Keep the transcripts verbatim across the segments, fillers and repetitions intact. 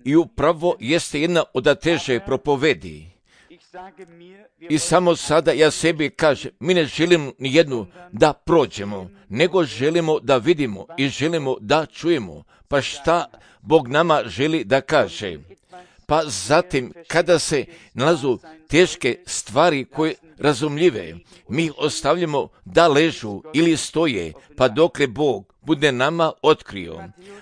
I upravo jeste jedna od teže propovedi. I samo sada ja sebi kažem, mi ne želimo ni jednu da prođemo, nego želimo da vidimo i želimo da čujemo. Pa šta Bog nama želi da kaže? Pa zatim, kada se nalazu teške stvari koje razumljive, mi ih ostavljamo da ležu ili stoje, pa dokle Bog bude nama otkrio.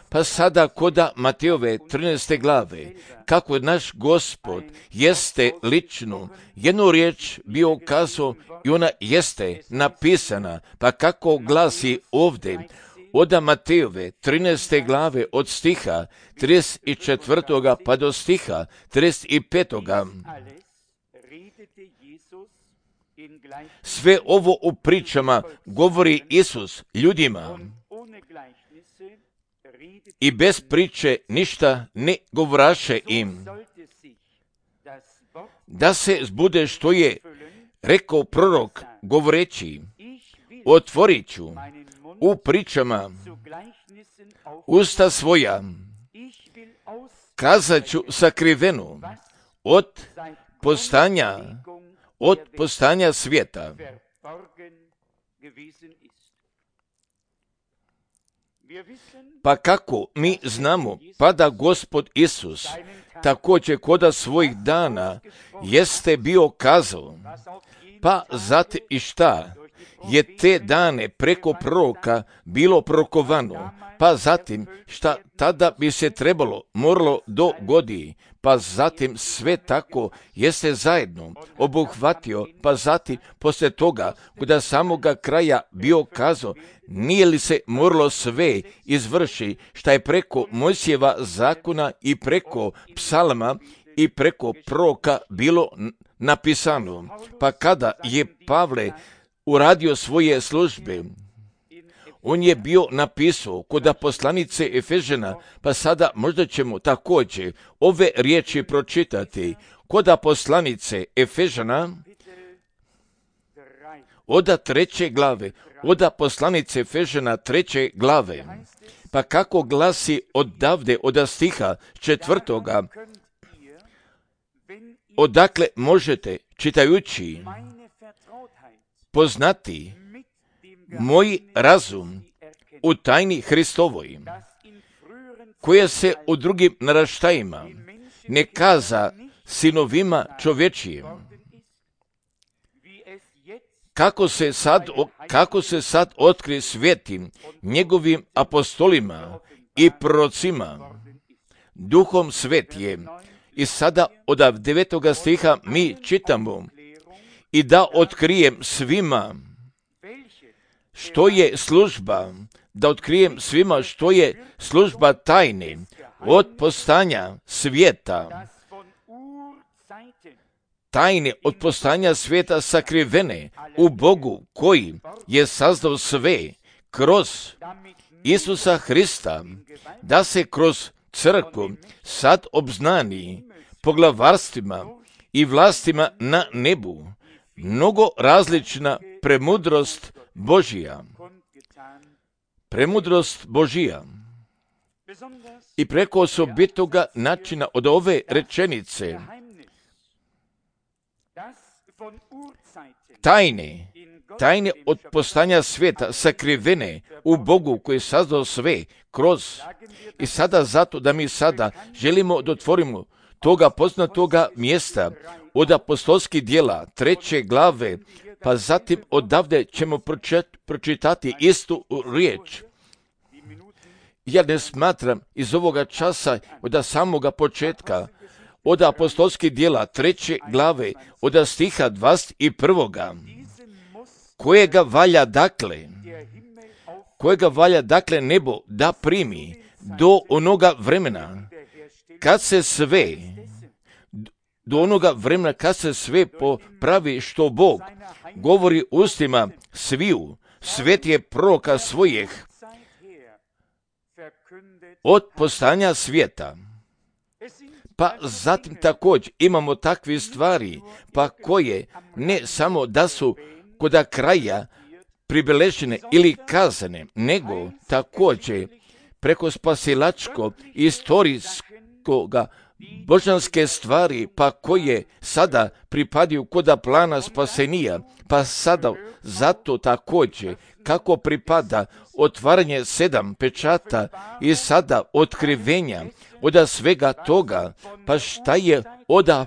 Pa sada koda Matejove trinaeste glave, kako naš Gospod jeste lično jednu riječ bio kazao i ona jeste napisana, pa kako glasi ovdje, od Matejove trinaeste glave od stiha trideset četvrtoga pa do stiha trideset petoga Sve ovo u pričama govori Isus ljudima i bez priče ništa ne govoraše im, da se zbude što je rekao prorok govoreći, otvorit ću u pričama usta svoja, kazat ću sakrivenu od postanja, od postanja svijeta. Pa kako mi znamo, pa da Gospod Isus također koda svojih dana jeste bio kazao, pa zatim i šta je te dane preko proroka bilo prorokovano, pa zatim šta tada bi se trebalo, moralo dogodi, pa zatim sve tako jeste zajedno obuhvatio, pa zatim poslije toga, kada samoga kraja bio kazao, nije li se moralo sve izvrši šta je preko Mojsijeva zakona i preko psalma i preko proroka bilo napisano. Pa kada je Pavle uradio svoje službe, on je bio napisao kod poslanice Efežana, pa sada možda ćemo također ove riječi pročitati. Kod poslanice Efežana, od treće glave, od poslanice Efežana treće glave, pa kako glasi odavde, od stiha četvrtoga, odakle možete, čitajući, poznati moj razum u tajni Hristovoj, koja se u drugim naraštajima ne kaza sinovima čovječijim, kako se sad, kako se sad otkri svetim njegovim apostolima i prorocima, duhom svetijem. I sada od devetoga stiha mi čitamo, i da otkrijem svima što je služba, da otkrijem svima što je služba tajne od postanja svijeta, tajne od postanja svijeta sakrivene u Bogu koji je sazdao sve kroz Isusa Hrista, da se kroz crkvu sad obznani poglavarstvima i vlastima na nebu mnogo različna premudrost Božija. Premudrost Božija. I preko osobitoga načina od ove rečenice tajne, tajne od postanja svijeta sakrivene u Bogu koji je sazdao sve kroz. I sada zato da mi sada želimo da otvorimo toga poznatoga mjesta od apostolskih djela treće glave, pa zatim odavde ćemo pročitati istu riječ. Ja ne smatram iz ovoga časa od samoga početka, od apostolskih djela treće glave, od stiha dvadeset prvoga kojega valja dakle, kojega valja dakle nebo da primi do onoga vremena kad se sve, do onoga vremena kad se sve popravi što Bog govori ustima sviju svetije proroka svojih od postanja svijeta. Pa zatim također imamo takve stvari, pa koje ne samo da su koda kraja pribeležene ili kazane, nego također preko spasilačko istorijskoga božanske stvari, pa koje sada pripadaju koda plana spasenija, pa sada zato također kako pripada otvaranje sedam pečata i sada otkrivenja oda svega toga, pa šta je oda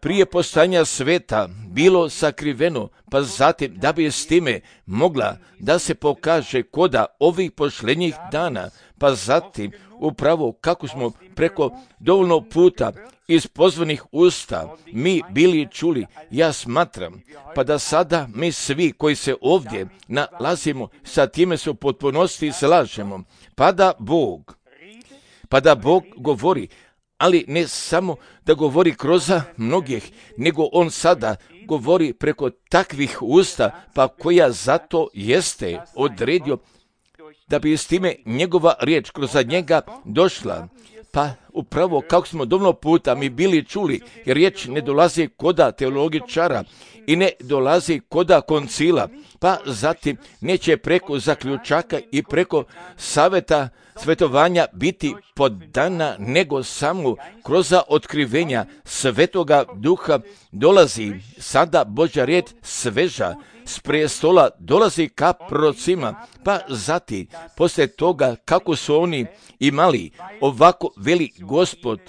prije postojanja sveta bilo sakriveno, pa zatim da bi s time mogla da se pokaže koda ovih posljednjih dana, pa zatim upravo kako smo preko dovoljno puta iz pozvanih usta mi bili čuli, ja smatram, pa da sada mi svi koji se ovdje nalazimo sa time se u potpunosti slažemo, pa da Bog, pa da Bog govori, ali ne samo da govori kroz mnogih, nego on sada govori preko takvih usta, pa koja zato jeste odredio da bi s time njegova riječ kroz njega došla. Pa upravo kako smo dovoljno puta mi bili čuli, jer riječ ne dolazi koda teologičara i ne dolazi koda koncila, pa zatim neće preko zaključaka i preko savjeta svetovanja biti podana, nego samo kroz otkrivenja Svetoga Duha dolazi sada Božja riječ sveža s prestola, dolazi ka prorocima, pa zatim poslije toga kako su oni imali ovako veli Gospod,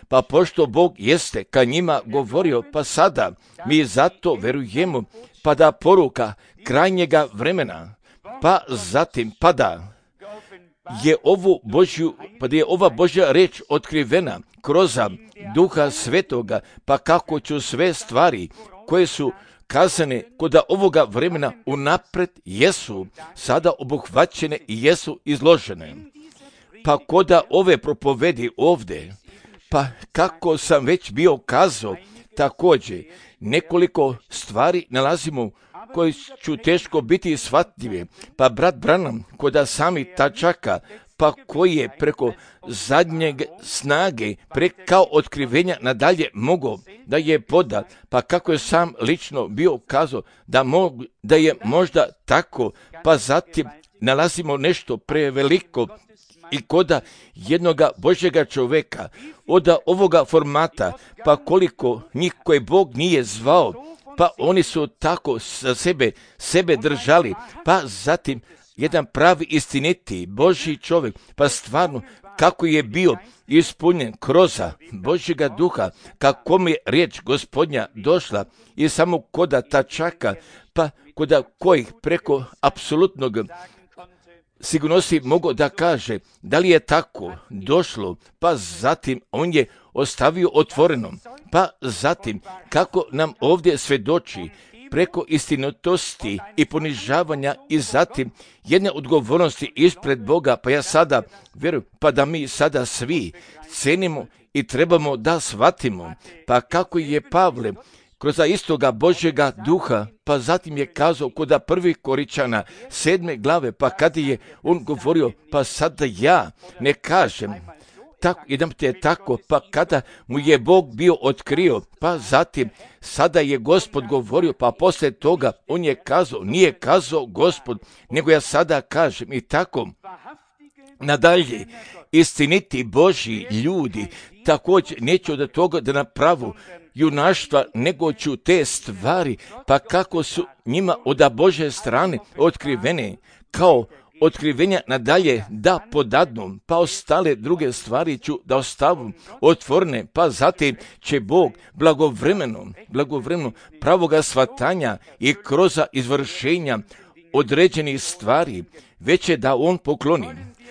pa pošto Bog jeste ka njima govorio, pa sada mi zato verujemo, pa da poruka krajnjega vremena, pa zatim pada je ovu Božju, pa da je ova Božja reč otkrivena kroz Duha Svetoga, pa kako ću sve stvari koje su kazane koda ovoga vremena unapred jesu sada obuhvaćene i jesu izložene. Pa koda ove propovedi ovdje, pa kako sam već bio kazao, također nekoliko stvari nalazimo koji ću teško biti shvatljive, pa brat Branham koda sami tačaka, pa koji je preko zadnjeg snage, pre kao otkrivenja nadalje mogao da je poda, pa kako je sam lično bio kazao da, mog, da je možda tako, pa zatim nalazimo nešto preveliko i koda jednoga Božjega čovjeka, od ovoga formata, pa koliko njih koje Bog nije zvao, pa oni su tako sa sebe, sebe držali, pa zatim jedan pravi istiniti Božji čovjek, pa stvarno kako je bio ispunjen kroz Božjega duha, kako mi je riječ Gospodnja došla i samo koda tačaka, pa koda kojih preko apsolutnog sigurnosti mogu da kaže da li je tako došlo, pa zatim on je ostavio otvoreno, pa zatim kako nam ovdje svjedoči preko istinitosti i ponižavanja i zatim jedne odgovornosti ispred Boga, pa ja sada vjerujem, pa da mi sada svi cenimo i trebamo da shvatimo, pa kako je Pavle kroz istoga Božjega duha, pa zatim je kazao koda prvih Koričana sedme glave, pa kada je on govorio, pa sada ja ne kažem, tako, jedan te tako, pa kada mu je Bog bio otkrio, pa zatim sada je Gospod govorio, pa poslije toga on je kazao, nije kazao Gospod, nego ja sada kažem i tako nadalje. Istiniti Božji ljudi također neće od toga da napravu junaštva, nego ću te stvari, pa kako su njima od Božje strane otkrivene, kao otkrivenja nadalje da podadnu, pa ostale druge stvari ću da ostavu otvorene, pa zatim će Bog blagovremeno, blagovremeno pravoga shvatanja i kroz izvršenja određenih stvari već je da on pokloni.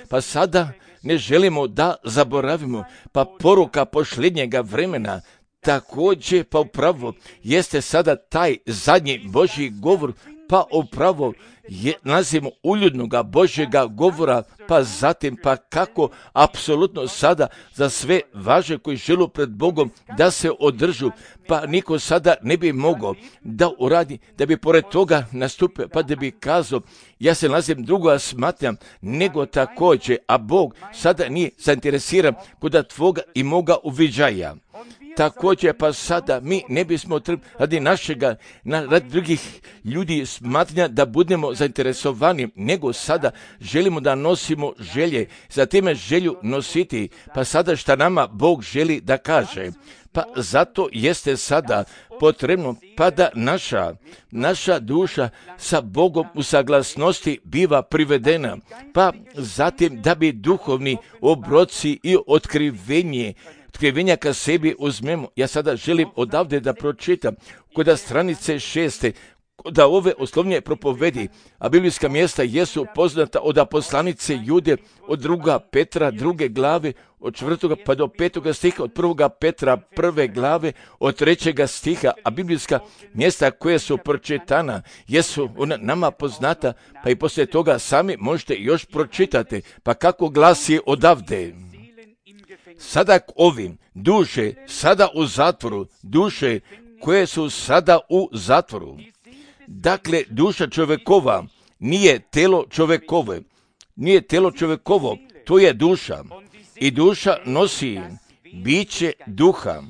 Pa sada ne želimo da zaboravimo, pa poruka posljednjega vremena također, pa upravo jeste sada taj zadnji Božji govor, pa upravo je nazivamo uljudnoga Božjega govora, pa zatim pa kako apsolutno sada za sve važe koji žele pred Bogom da se održu, pa niko sada ne bi mogao da uradi, da bi pored toga nastupio, pa da bi kazao, ja se nalazim drugo smatram, nego također, a Bog sada nije zainteresiran kod tvoga i moga uviđaja. također pa sada mi ne bismo trebali radi našega, na, radi drugih ljudi smatranja da budemo zainteresovani, nego sada želimo da nosimo želje, za time želju nositi, pa sada šta nama Bog želi da kaže. Pa zato jeste sada potrebno pa da naša, naša duša sa Bogom u saglasnosti biva privedena, pa zatim da bi duhovni obroci i otkrivenje, otkrivenja ka sebi uzmemo. Ja sada želim odavde da pročitam kod stranice šeste, da ove oslovnje propovedi, a biblijska mjesta jesu poznata od poslanice Jude, od druga Petra, druge glave, od četvrtoga pa do petoga stiha, od prvoga Petra, prve glave, od trećega stiha, a biblijska mjesta koje su pročitana jesu ona nama poznata, pa i poslije toga sami možete još pročitati. Pa kako glasi odavde? Sada ovim duše, sada u zatvoru, duše koje su sada u zatvoru. Dakle, duša čovjekova nije telo čovjekove, nije telo čovjekovo, to je duša. I duša nosi biće duha.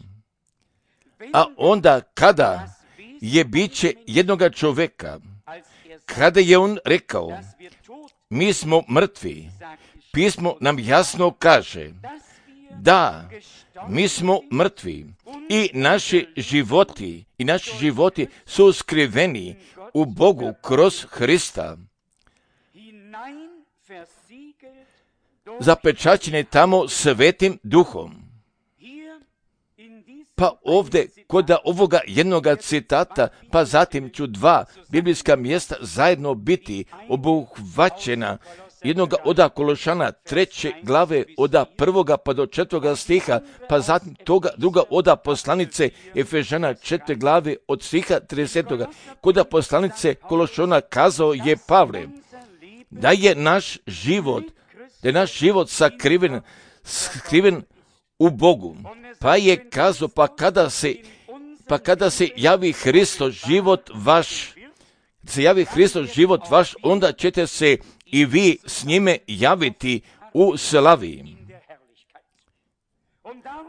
A onda kada je biće jednoga čovjeka, kada je on rekao, mi smo mrtvi, pismo nam jasno kaže, da, mi smo mrtvi i naši životi, i naši životi su skriveni u Bogu kroz Hrista. Zapečaćeni tamo svetim duhom. Pa ovdje, kod ovoga jednoga citata, pa zatim ću dva biblijska mjesta zajedno biti obuhvaćena jednoga oda Kološana treće glave oda prvoga pa do četvrtoga stiha, pa zatim toga druga oda poslanice Efežana četvrte glave od stiha tridesetoga. Kod poslanice Kološana kazao je Pavle da je naš život, da je naš život sakriven, skriven u Bogu. Pa je kazao, pa kada se, pa kada se javi Hristos život vaš, se javi Hristos život vaš, onda ćete se i vi s njime javiti u slavi.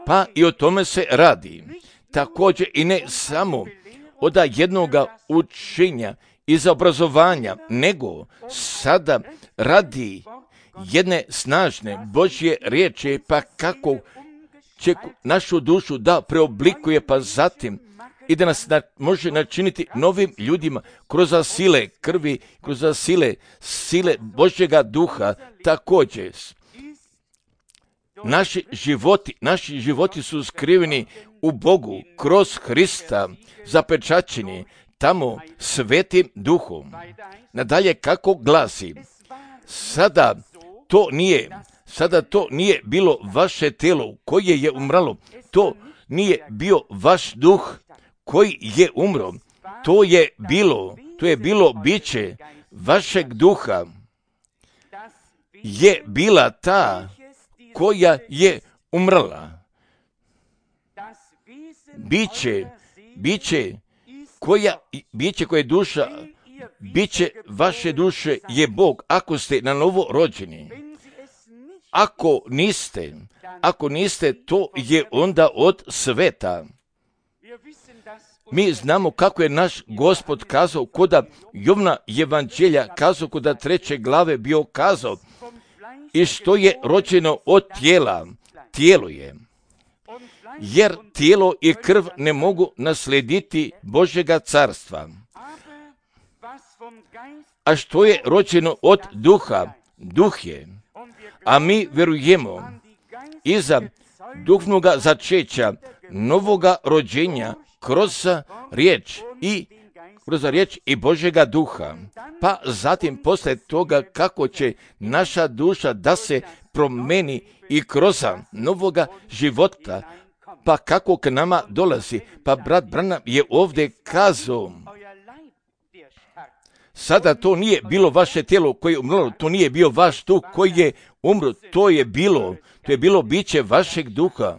Pa i o tome se radi. Također i ne samo od jednoga učenja i za obrazovanja, nego sada radi jedne snažne Božje riječi, pa kako će našu dušu da preoblikuje, pa zatim i da nas na, može načiniti novim ljudima kroz sile krvi, kroz sile, sile Božjega duha. Također, naši životi, naši životi su skriveni u Bogu kroz Hrista, zapečaćeni tamo svetim duhom. Nadalje kako glasi, sada to nije, sada to nije bilo vaše telo koje je umralo, to nije bio vaš duh koji je umro, to je bilo, to je bilo biće vašeg duha, je bila ta koja je umrla. Biće, biće koja, biće koje je duša, biće vaše duše je Bog, ako ste na novo rođeni. Ako niste, ako niste, to je onda od sveta. Mi znamo kako je naš Gospod kazao koda Jovna evanđelja, kazao koda treće glave bio kazao, i što je rođeno od tijela, tijelo je. Jer tijelo i krv ne mogu naslediti Božjega carstva. A što je rođeno od duha, duh je. A mi vjerujemo iza duhovnoga začeća, novoga rođenja, kroz riječ i kroz riječ i Božjega duha. Pa zatim posle toga kako će naša duša da se promeni i kroz novoga života, pa kako k nama dolazi. Pa brat Branham je ovdje kazao, sada to nije bilo vaše tijelo koje je umrlo, to nije bio vaš duh koji je umro, to je bilo, to je bilo biće vašeg duha.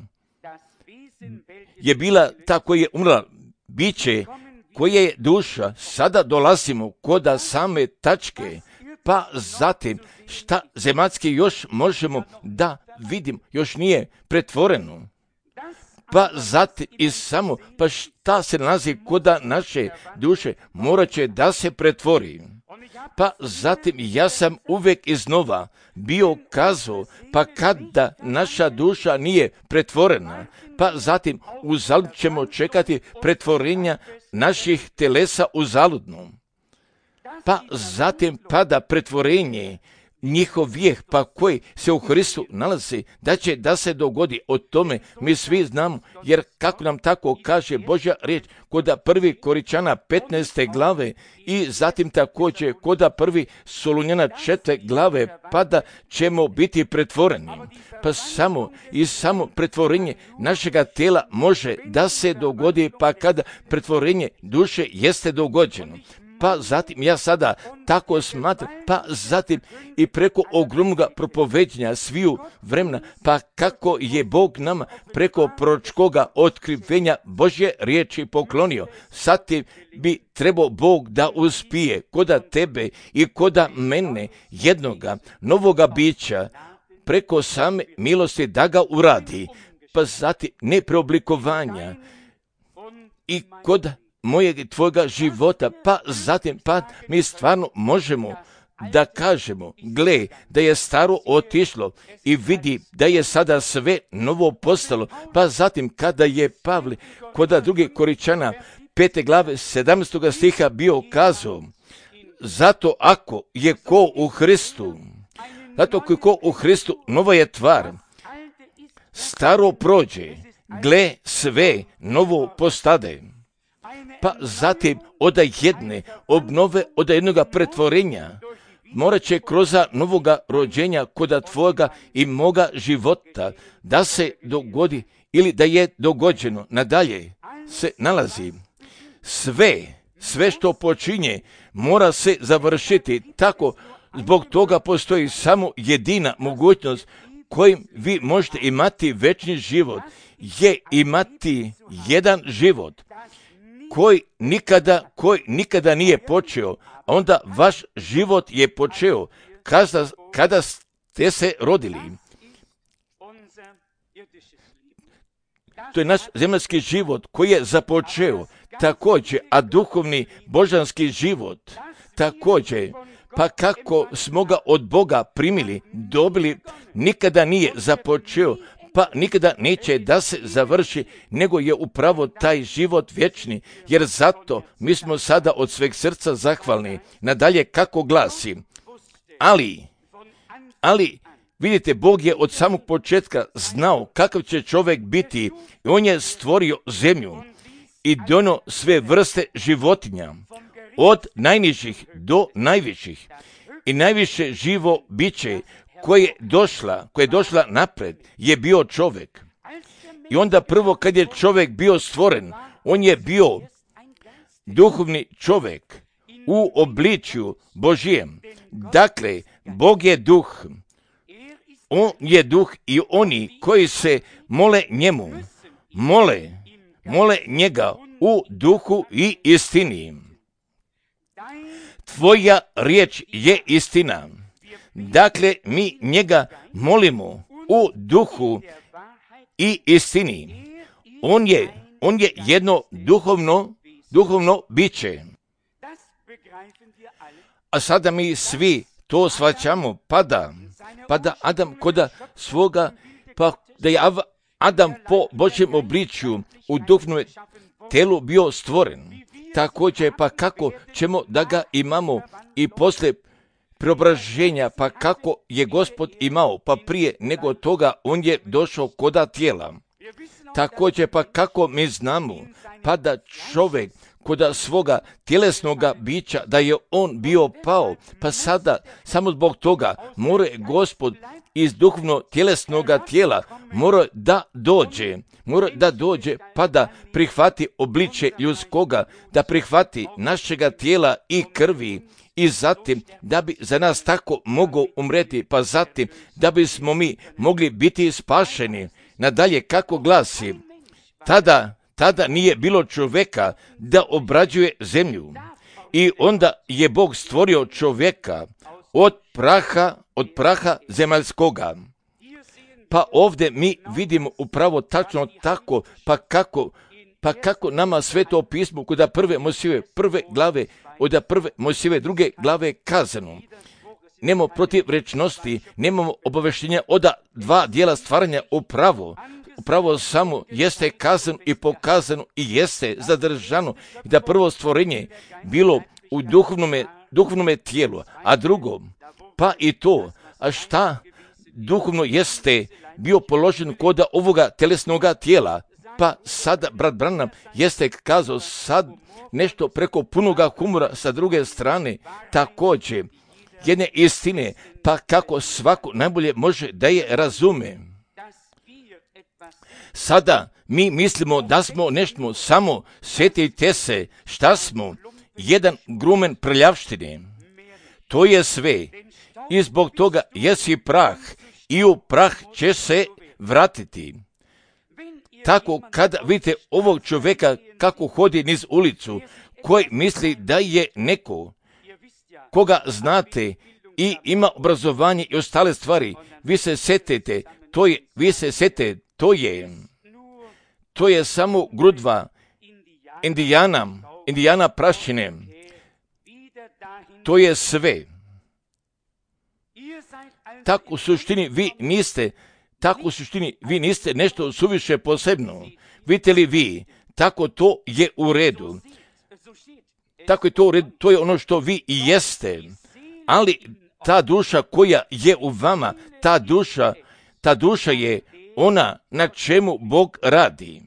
Je bila ta koja je umrla, biće koje je duša. Sada dolazimo kod same tačke, pa zatim šta zemaljski još možemo da vidimo, još nije pretvoreno. pa zatim i samo, pa šta se nalazi kod naše duše, morat će da se pretvori. Pa zatim ja sam uvijek iznova bio kazao, pa kada naša duša nije pretvorena, pa zatim uzalud ćemo čekati pretvorenja naših telesa uzaludno. Pa zatim pada pretvorenje njihov vijeh, pa koji se u Hristu nalazi, da će da se dogodi. O tome mi svi znamo, jer kako nam tako kaže Božja riječ kod prvi Koričana petnaeste glave i zatim također kod prvi Solunjana četvrte glave, pa da ćemo biti pretvoreni. Pa samo i samo pretvorenje našega tela može da se dogodi, pa kada pretvorenje duše jeste dogođeno. Pa zatim ja sada tako smatram, pa zatim i preko ogromnog propoveđenja sviju vremena, pa kako je Bog nama preko proročkoga otkrivenja Božje riječi poklonio. Zatim bi trebao Bog da uspije koda tebe i koda mene jednoga novoga bića preko same milosti da ga uradi, pa zatim ne preoblikovanja i kod mojeg i tvojega života, pa zatim pa mi stvarno možemo da kažemo, gle, da je staro otišlo i vidi da je sada sve novo postalo, pa zatim kada je Pavle kod druge Koričana pete glave sedamnaestog stiha bio kazao, zato ako je ko u Hristu, zato ako je ko u Hristu, nova je tvar, staro prođe, gle, sve novo postade. Pa zatim od jedne obnove, od jednoga pretvorenja, morat će kroz novoga rođenja kod tvojega i moga života da se dogodi ili da je dogođeno. Nadalje se nalazi sve, sve što počinje mora se završiti tako. Zbog toga postoji samo jedina mogućnost kojim vi možete imati večni život, je imati jedan život koji nikada, koji nikada nije počeo, a onda vaš život je počeo kada, kada ste se rodili. To je naš zemaljski život koji je započeo također, a duhovni božanski život također, pa kako smo ga od Boga primili, dobili, nikada nije započeo, pa nikada neće da se završi, nego je upravo taj život vječni, jer zato mi smo sada od sveg srca zahvalni. Nadalje kako glasi, ali, ali, vidite, Bog je od samog početka znao kakav će čovjek biti i on je stvorio zemlju i donio sve vrste životinja, od najnižih do najviših i najviše živo biće koje je došla, koje je došla napred, je bio čovjek. I onda prvo kad je čovjek bio stvoren, on je bio duhovni čovjek u obličju Božijem. Dakle, Bog je duh. On je duh i oni koji se mole njemu, mole, mole njega u duhu i istini. Tvoja riječ je istina. Dakle, mi njega molimo u duhu i istini. On je, on je jedno duhovno, duhovno biće. A sada mi svi to shvaćamo, pada, pada Adam koda svoga, pa da je Adam po Božjem obličju u duhovnom telu bio stvoren. Također, pa kako ćemo da ga imamo i poslije preobraženja, pa kako je Gospod imao, pa prije nego toga on je došao koda tijela. Također, pa kako mi znamo, pa da čovjek koda svoga tjelesnoga bića, da je on bio pao, pa sada samo zbog toga mora Gospod iz duhovno tjelesnoga tijela mora da dođe, mora da dođe pa da prihvati obličje ljudskoga, da prihvati našega tijela i krvi i zatim da bi za nas tako mogao umreti, pa zatim da bismo mi mogli biti spašeni. Nadalje kako glasi, tada, tada nije bilo čovjeka da obrađuje zemlju i onda je Bog stvorio čovjeka od praha, od praha zemaljskoga. Pa ovdje mi vidimo upravo tačno tako, pa kako, pa kako nama Sveto pismo kod prve Mojsijeve prve glave, od prve Mojsijeve druge glave kazano. Nemamo protivrečnosti, nemamo obaveštenja od dva dijela stvaranja upravo. Upravo samo jeste kazano i pokazano i jeste zadržano i da prvo stvorenje bilo u duhovnome, duhovnome tijelu, a drugo, pa i to, a šta duhovno jeste bio položen kod ovoga telesnoga tijela, pa sada brat Branham jeste kazao sad nešto preko punoga humora sa druge strane, također jedne istine, pa kako svako najbolje može da je razume. Sada mi mislimo da smo nešto, samo sjetite se šta smo, jedan grumen prljavštine. To je sve i zbog toga jesi prah i u prah će se vratiti. Tako kada vidite ovog čovjeka kako hodi niz ulicu, koji misli da je neko koga znate i ima obrazovanje i ostale stvari, vi se setete, to je, vi se setete, to je, to je samo grudva indijana, indijana prašine. To je sve. Tako u suštini vi niste, tako u suštini vi niste nešto suviše posebno. Vidite li vi, tako to je u redu. Tako je to u redu, to je ono što vi i jeste. Ali ta duša koja je u vama, ta duša, ta duša je ona na čemu Bog radi.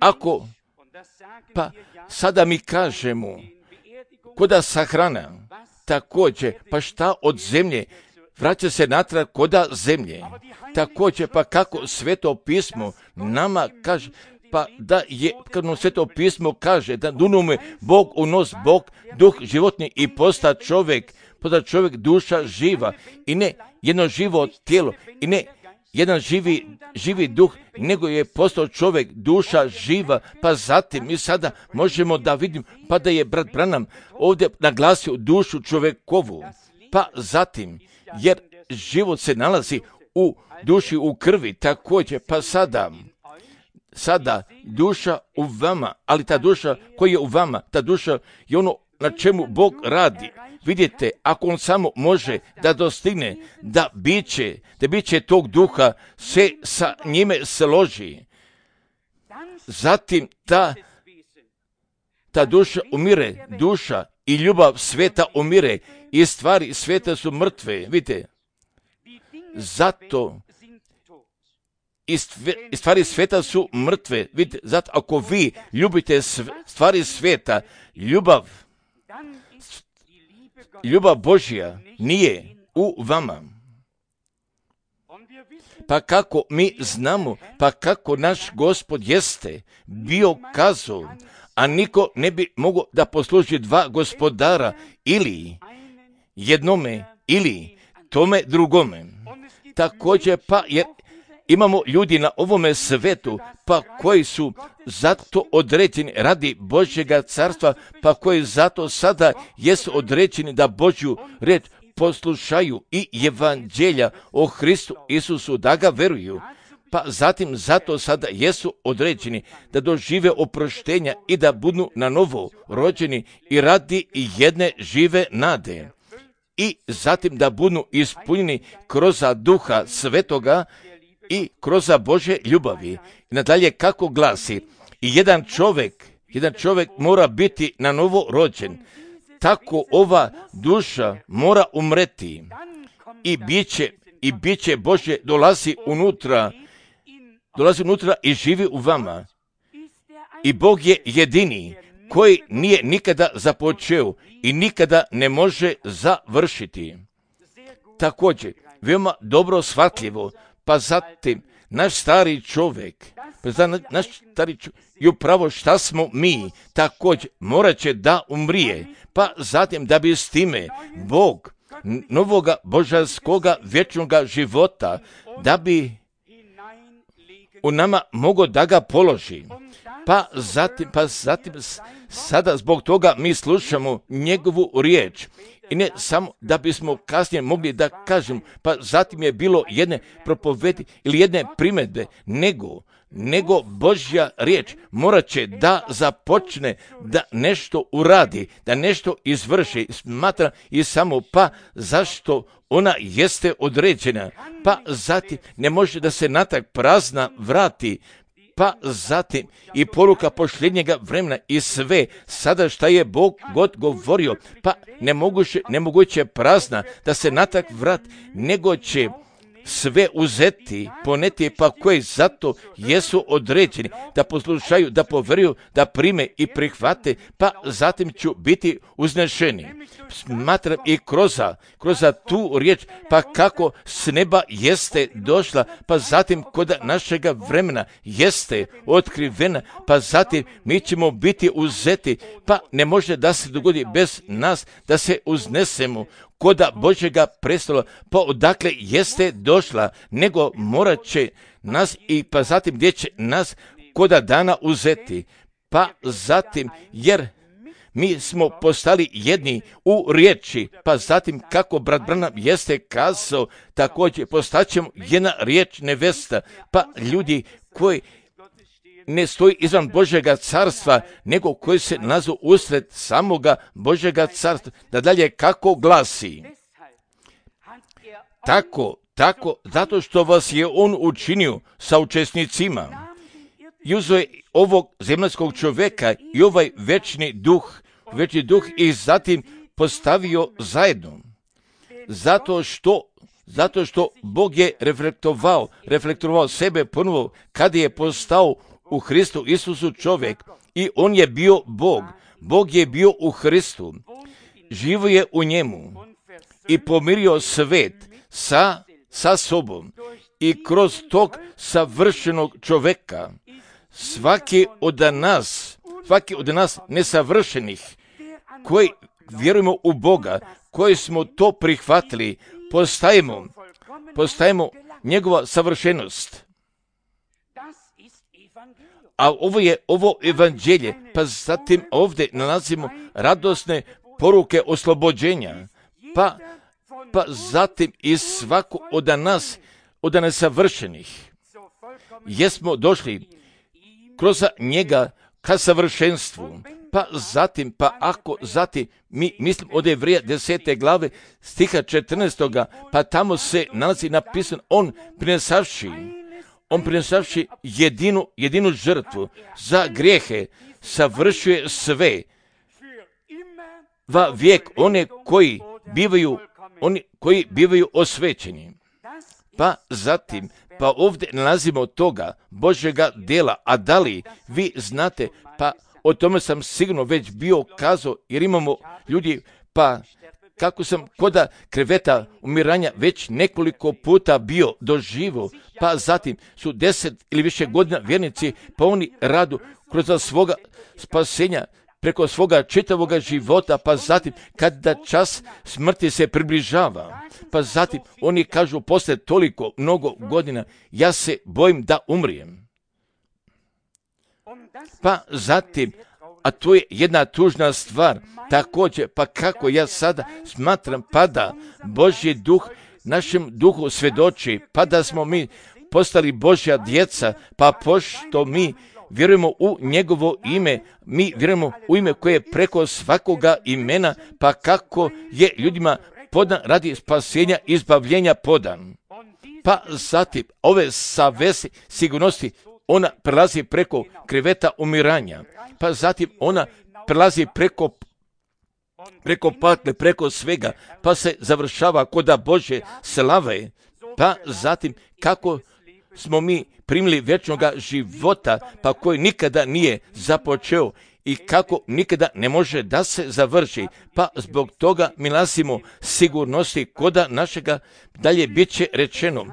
Ako, pa sada mi kažemo, koda sahrana, također, pa šta od zemlje, vraća se natrag koda zemlje. Također, pa kako Sveto pismo nama kaže, pa da je, kad nam Sveto pismo kaže, da dunome Bog unos, Bog, duh životni i posta čovjek, posta čovjek duša živa i ne jedno živo tijelo i ne jedan živi, živi duh, nego je postao čovjek, duša živa, pa zatim mi sada možemo da vidimo, pa da je brat Branham ovdje naglasio dušu čovjekovu, pa zatim, jer život se nalazi u duši, u krvi, također, pa sada, sada duša u vama, ali ta duša koja je u vama, ta duša je ono na čemu Bog radi. Vidite, ako on samo može da dostigne, da biće, da biće tog duha se sa njime složi, zatim ta, ta duša umire, duša i ljubav sveta umire i stvari sveta su mrtve, vidite, zato i stvari sveta su mrtve, vidite, zato ako vi ljubite stvari sveta, ljubav, ljubav Božja nije u vama. Pa kako mi znamo, pa kako naš Gospod jeste bio kazao, a niko ne bi mogao da posluži dva gospodara, ili jednome, ili tome drugome. Također, pa jer imamo ljudi na ovome svetu, pa koji su zato određeni radi Božjega carstva, pa koji zato sada jesu određeni da Božju reč poslušaju i evanđelja o Hristu Isusu, da ga veruju. Pa zatim zato sada jesu određeni da dožive oproštenja i da budu na novo rođeni i radi jedne žive nade. I zatim da budu ispunjeni kroz Duha Svetoga i kroz Božje ljubavi. I nadalje kako glasi, i jedan čovjek, jedan čovjek mora biti na novo rođen. Tako ova duša mora umreti i biće, i biće Božje dolazi unutra, dolazi unutra i živi u vama. I Bog je jedini koji nije nikada započeo i nikada ne može završiti. Također, veoma dobro shvatljivo, pa zatim naš stari čovjek, pa zatim naš stari čovjek, i upravo šta smo mi, također morat će da umrije, pa zatim da bi s time Bog novoga božanskoga vječnoga života, da bi u nama mogao da ga položi. Pa zatim, pa zatim sada zbog toga mi slušamo njegovu riječ I ne samo da bismo kasnije mogli da kažem, pa zatim je bilo jedne propovedi ili jedne primjedbe, nego, nego Božja riječ morat će da započne da nešto uradi, da nešto izvrši, smatra i samo pa zašto ona jeste određena, pa zatim ne može da se natrag prazna vrati, pa zatim i poruka posljednjega vremena i sve sada šta je Bog god govorio, pa nemoguće, nemoguće prazna da se natrag vrati, nego će sve uzeti, poneti, pa koji zato jesu određeni da poslušaju, da poveruju, da prime i prihvate, pa zatim ću biti uznešeni. Smatram i kroz, kroz tu riječ, pa kako s neba jeste došla, pa zatim kod našega vremena jeste otkrivena, pa zatim mi ćemo biti uzeti, pa ne može da se dogodi bez nas da se uznesemo koda Božjega prestola, pa odakle jeste došla, nego morat će nas i pa zatim gdje će nas koda dana uzeti, pa zatim jer mi smo postali jedni u riječi, pa zatim kako brat Branham jeste kazao, također postaćemo jedna riječ nevesta, pa ljudi koji ne stoji izvan Božjega carstva, nego koji se nalazu usred samoga Božjega carstva. Da dalje kako glasi? Tako, tako, zato što vas je on učinio saučesnicima. I uzeo je ovog zemaljskog čovjeka i ovaj večni duh, večni duh i zatim postavio zajedno. Zato što Zato što Bog je reflektovao, reflektovao sebe ponovo kada je postao u Hristu Isusu čovjek i on je bio Bog. Bog je bio u Hristu, živo je u njemu i pomirio svet sa, sa sobom i kroz tog savršenog čovjeka svaki od nas, svaki od nas nesavršenih koji vjerujemo u Boga, koji smo to prihvatili, postajemo, postajemo njegova savršenost. A ovo je ovo evanđelje, pa zatim ovdje nalazimo radosne poruke oslobođenja, pa, pa zatim i svako od nas, od nesavršenih, jesmo došli kroz njega ka savršenstvu. Pa zatim, pa ako zatim, mi mislim od Evreja desete glave stiha četrnaestoga, pa tamo se nalazi napisano, on prinesavši, on prinesavši jedinu, jedinu žrtvu za grijehe, savršuje sve, va vijek one koji bivaju, oni koji bivaju osvećeni. Pa zatim, pa ovdje nalazimo toga Božjega dela, a da li vi znate, pa o tome sam sigurno već bio kazao, jer imamo ljudi, pa kako sam koda kreveta umiranja već nekoliko puta bio doživo, pa zatim su deset ili više godina vjernici, pa oni radu kroz svoga spasenja, preko svoga čitavoga života, pa zatim kada čas smrti se približava, pa zatim oni kažu posle toliko mnogo godina, ja se bojim da umrijem. Pa zatim, a to je jedna tužna stvar, također, pa kako ja sada smatram, pa da Božji duh našem duhu svjedoči, pa da smo mi postali Božja djeca, pa pošto mi vjerujemo u njegovo ime, mi vjerujemo u ime koje je preko svakoga imena, pa kako je ljudima podan radi spasenja i izbavljenja podan. Pa zatim, ove savesi sigurnosti, ona prelazi preko kreveta umiranja, pa zatim ona prelazi preko preko patle, preko svega, pa se završava koda Božje slave, pa zatim kako smo mi primili vječnoga života, pa koji nikada nije započeo i kako nikada ne može da se završi, pa zbog toga mi nalazimo sigurnosti koda našega, dalje bit će rečeno.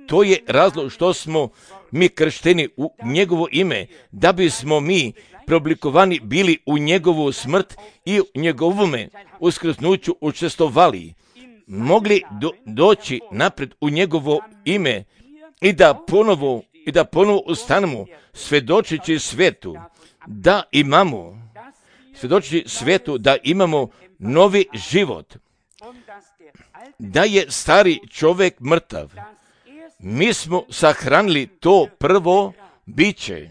To je razlog što smo mi kršteni u njegovo ime, da bismo mi preoblikovani bili u njegovu smrt i u njegovome uskrsnuću učestvovali, mogli do, doći napred u njegovo ime i da ponovo i da ponovo ustanemo svjedočeći svetu da imamo svjedočeći svetu da imamo novi život, da je stari čovjek mrtav. Mi smo sahranili to prvo biće.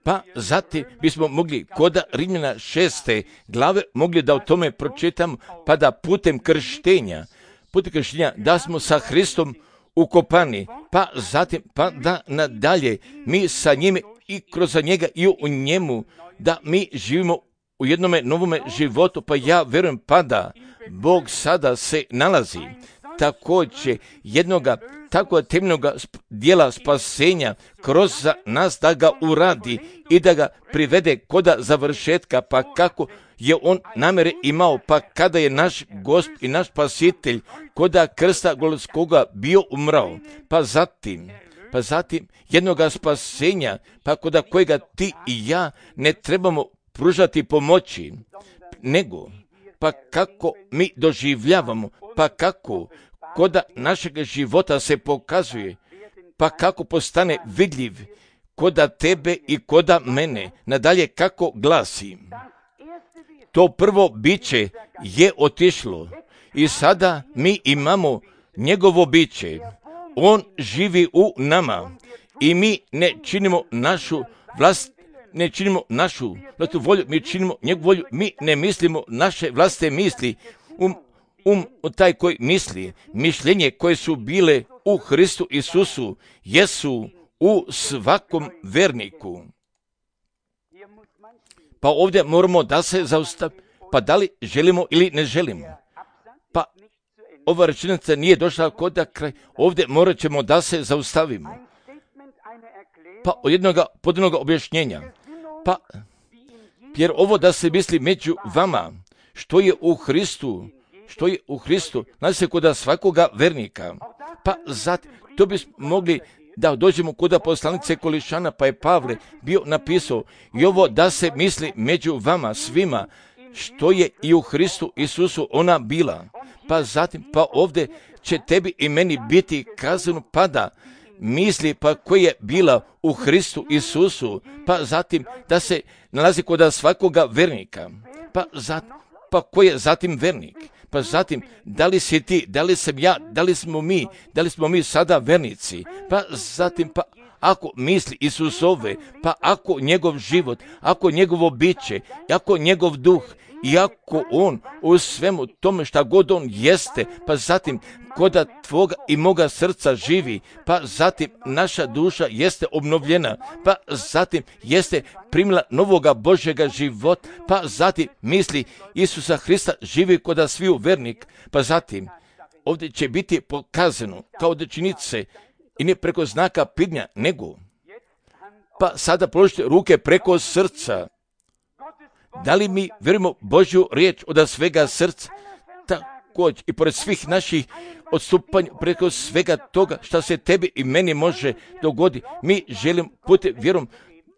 Pa zatim bismo mogli kod Rimljana šeste glave mogli da o tome pročitam, pa da putem krštenja, putem krštenja da smo sa Hristom ukopani, pa zatim pa da nadalje mi sa njime i kroz njega i u njemu da mi živimo u jednome novome životu, pa ja vjerujem pa da Bog sada se nalazi također jednoga tako temeljnoga dijela spasenja kroz nas da ga uradi i da ga privede koda završetka, pa kako je on namjere imao, pa kada je naš Gospod i naš Spasitelj koda krsta Golgotskoga bio umrao, pa zatim pa zatim jednoga spasenja, pa koda kojega ti i ja ne trebamo pružati pomoći, nego pa kako mi doživljavamo, pa kako koda našeg života se pokazuje, pa kako postane vidljiv koda tebe i koda mene. Nadalje kako glasi, to prvo biće je otišlo i sada mi imamo njegovo biće. On živi u nama i mi ne činimo našu vlast, ne činimo našu vlastitu volju, mi činimo njegovu volju, mi ne mislimo naše vlastite misli. Um, um taj koji misli, mišljenje koje su bile u Hristu Isusu, jesu u svakom verniku. Pa ovdje moramo da se zaustavimo, pa da li želimo ili ne želimo. Pa ova rečenica nije došla kod da kraj, ovdje morat ćemo da se zaustavimo. Pa od jednoga podjednoga objašnjenja. Pa, jer ovo da se misli među vama, što je u Hristu, što je u Hristu, znači se kod svakoga vernika. Pa zatim, to bismo mogli da dođemo kod poslanice Kolišana, pa je Pavle bio napisao i ovo da se misli među vama svima, što je i u Hristu Isusu ona bila. Pa zatim, pa ovdje će tebi i meni biti kazano pada misli pa koja je bila u Hristu Isusu, pa zatim da se nalazi kod svakoga vernika, pa zatim, pa ko je zatim vernik, pa zatim da li si ti, da li sam ja, da li smo mi, da li smo mi sada vernici, pa zatim pa ako misli Isusove, pa ako njegov život, ako njegovo biće, ako njegov duh, i ako on u svemu tome šta god on jeste, pa zatim koda tvoga i moga srca živi, pa zatim naša duša jeste obnovljena, pa zatim jeste primila novoga Božjega života, pa zatim misli Isusa Hrista živi koda sviju vernik, pa zatim ovdje će biti pokazano kao dečinice i ne preko znaka pidnja, nego pa sada položite ruke preko srca. Da li mi vjerujemo Božju riječ od svega srca, također i pored svih naših odstupanja, preko svega toga što se tebi i meni može dogoditi, mi želimo putem vjerom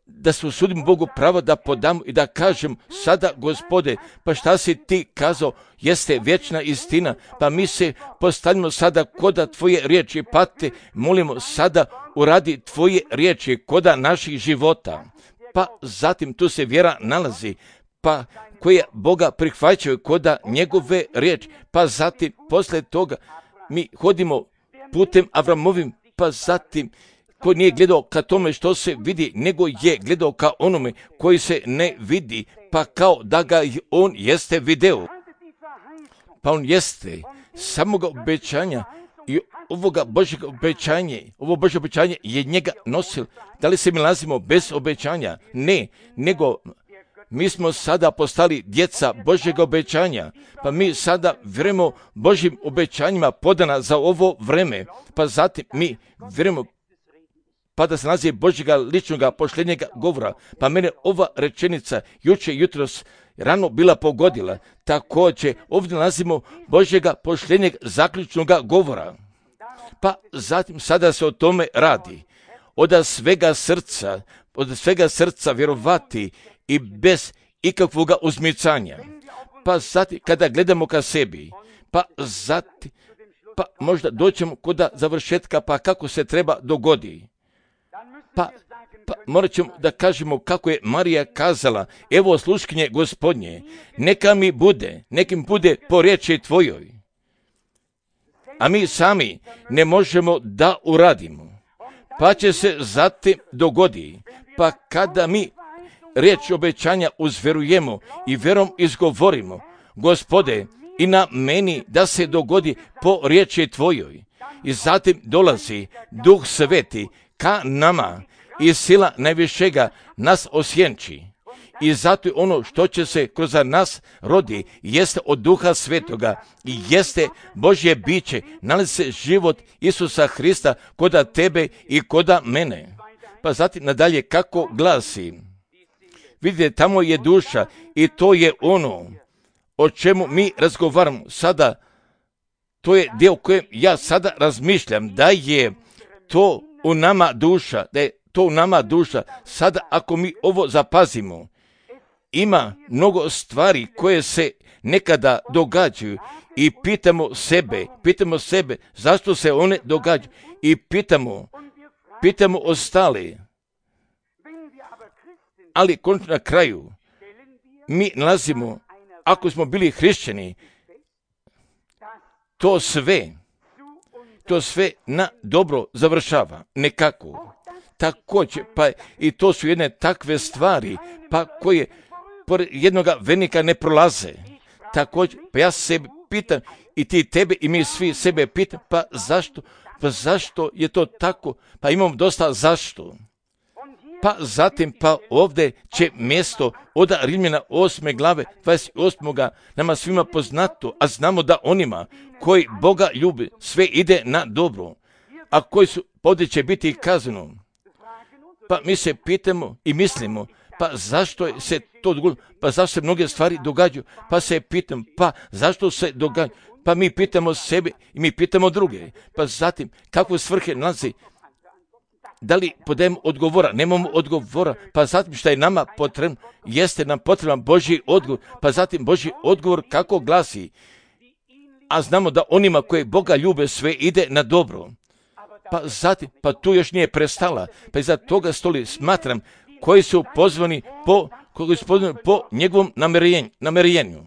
da se usudimo Bogu pravo da podamo i da kažem sada, Gospode, pa šta si ti kazao jeste vječna istina, pa mi se postavimo sada koda tvoje riječi, pa te molimo sada uradi tvoje riječi koda naših života. Pa zatim tu se vjera nalazi, pa koje Boga prihvaćaju koda njegove riječi, pa zatim posle toga mi hodimo putem Avramovim, pa zatim koji nije gledao ka tome što se vidi, nego je gledao ka onome koji se ne vidi, pa kao da ga on jeste video. Pa on jeste samoga obećanja i ovoga Božjega obećanja, ovo Božje obećanje je njega nosil. Da li se mi nalazimo bez obećanja? Ne, nego mi smo sada postali djeca Božjega obećanja, pa mi sada vjerujemo Božjim obećanjima podana za ovo vreme, pa zatim mi vjerujemo pa da se nalazi Božjega ličnoga pošljenjega govora, pa mene ova rečenica juče jutros rano bila pogodila. Također ovdje nalazimo Božjega pošljenjeg zaključnoga govora, pa zatim sada se o tome radi. Od svega srca, od svega srca vjerovati i bez ikakvog uzmicanja. Pa zatim kada gledamo ka sebi, pa zatim pa možda doćemo kod završetka, pa kako se treba dogodi. Pa Pa morat ćemo da kažemo kako je Marija kazala, evo sluškinje Gospodnje, neka mi bude, neka mi bude po riječi tvojoj. A mi sami ne možemo da uradimo. Pa će se zatim dogodi, pa kada mi riječ obećanja uzverujemo i vjerom izgovorimo, Gospode, i na meni da se dogodi po riječi tvojoj. I zatim dolazi Duh Sveti ka nama i sila najvišega nas osjenči. I zato ono što će se kroz nas rodi jeste od Duha Svetoga i jeste Božje biće, nalazi se život Isusa Hrista koda tebe i koda mene. Pa zatim nadalje kako glasi. Vidite, tamo je duša i to je ono o čemu mi razgovaramo sada. To je dio kojem ja sada razmišljam, da je to u nama duša, da je to u nama duša. Sada ako mi ovo zapazimo, ima mnogo stvari koje se nekada događaju i pitamo sebe, pitamo sebe zašto se one događaju i pitamo, pitamo ostale. Ali konačno na kraju mi nalazimo, ako smo bili hrišćani, to sve, to sve na dobro završava, nekako. Također, pa i to su jedne takve stvari, pa koje pored jednoga venika ne prolaze. Također, pa ja sebe pitam, i ti tebe i mi svi sebe pitam, pa zašto, pa zašto je to tako? Pa imamo dosta zašto. Pa zatim, pa ovdje će mjesto od Rimljana osme glave, dvadeset osmoga nama svima poznato, a znamo da onima koji Boga ljubi, sve ide na dobro, a koji su, ovdje će biti kazano. Pa mi se pitamo i mislimo, pa zašto se to dogodilo, pa zašto se mnoge stvari događaju, pa se pitam, pa zašto se događaju, pa mi pitamo sebe i mi pitamo druge, pa zatim kakve svrhe nalazi, da li podajemo odgovora, nemamo odgovora, pa zatim što je nama potrebno, jeste nam potreban Božji odgovor, pa zatim Božji odgovor kako glasi, a znamo da onima koji Boga ljube sve ide na dobro, pa zatim, pa tu još nije prestala, pa iza toga stoli smatram koji su pozvani po, koji su pozvani po njegovom namjerenju.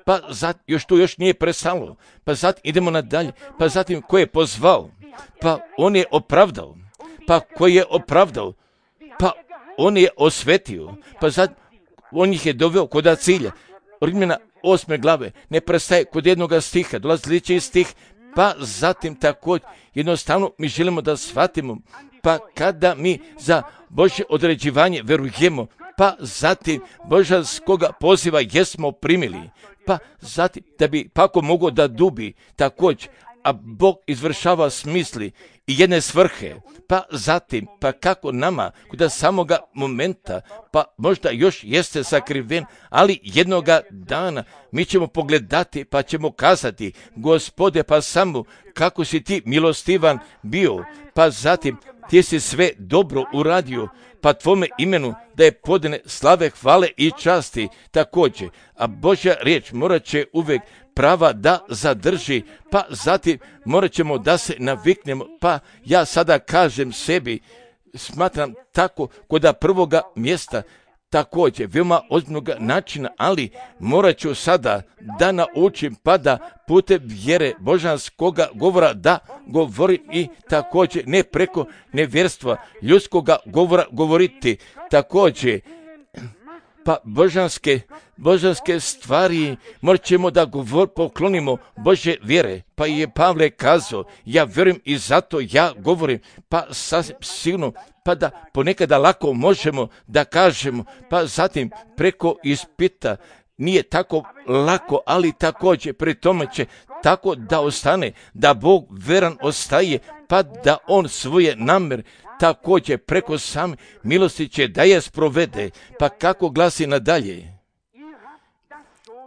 Pa zatim, još tu još nije prestalo, pa zatim idemo nadalje, pa zatim ko je pozvao, pa on je opravdao, pa koji je opravdao, pa on je osvetio, pa zatim on ih je doveo kod cilja. Rimljana osme glave ne prestaje kod jednoga stiha, dolazi sljedeći stih, pa zatim također jednostavno mi želimo da shvatimo, pa kada mi za Božje određivanje verujemo, pa zatim božanskoga poziva jesmo primili, pa zatim da bi pako mogao da dubi također, a Bog izvršava smisli i jedne svrhe, pa zatim, pa kako nama, kod samoga momenta, pa možda još jeste sakriven, ali jednoga dana mi ćemo pogledati, pa ćemo kazati, Gospode, pa samo kako si ti milostivan bio, pa zatim ti si sve dobro uradio, pa tvome imenu da je podane slave, hvale i časti također, a Božja riječ morat će uvijek prava da zadrži, pa zatim morat ćemo da se naviknemo, pa ja sada kažem sebi, smatram tako kod prvoga mjesta, također veoma ozbiljnog načina, ali morat ću sada da naučim pa da putem vjere božanskoga govora da govori i također ne preko nevjerstva ljudskoga govora govoriti, također pa božanske, božanske stvari morat ćemo da govor, poklonimo Božje vjere. Pa je Pavle kazao, ja vjerujem i zato ja govorim, pa sasvim sigurno, pa da ponekada lako možemo da kažemo, pa zatim preko ispita nije tako lako, ali također pri tome će tako da ostane, da Bog veran ostaje, pa da on svoje namjer također preko same milosti će da je sprovede, pa kako glasi nadalje.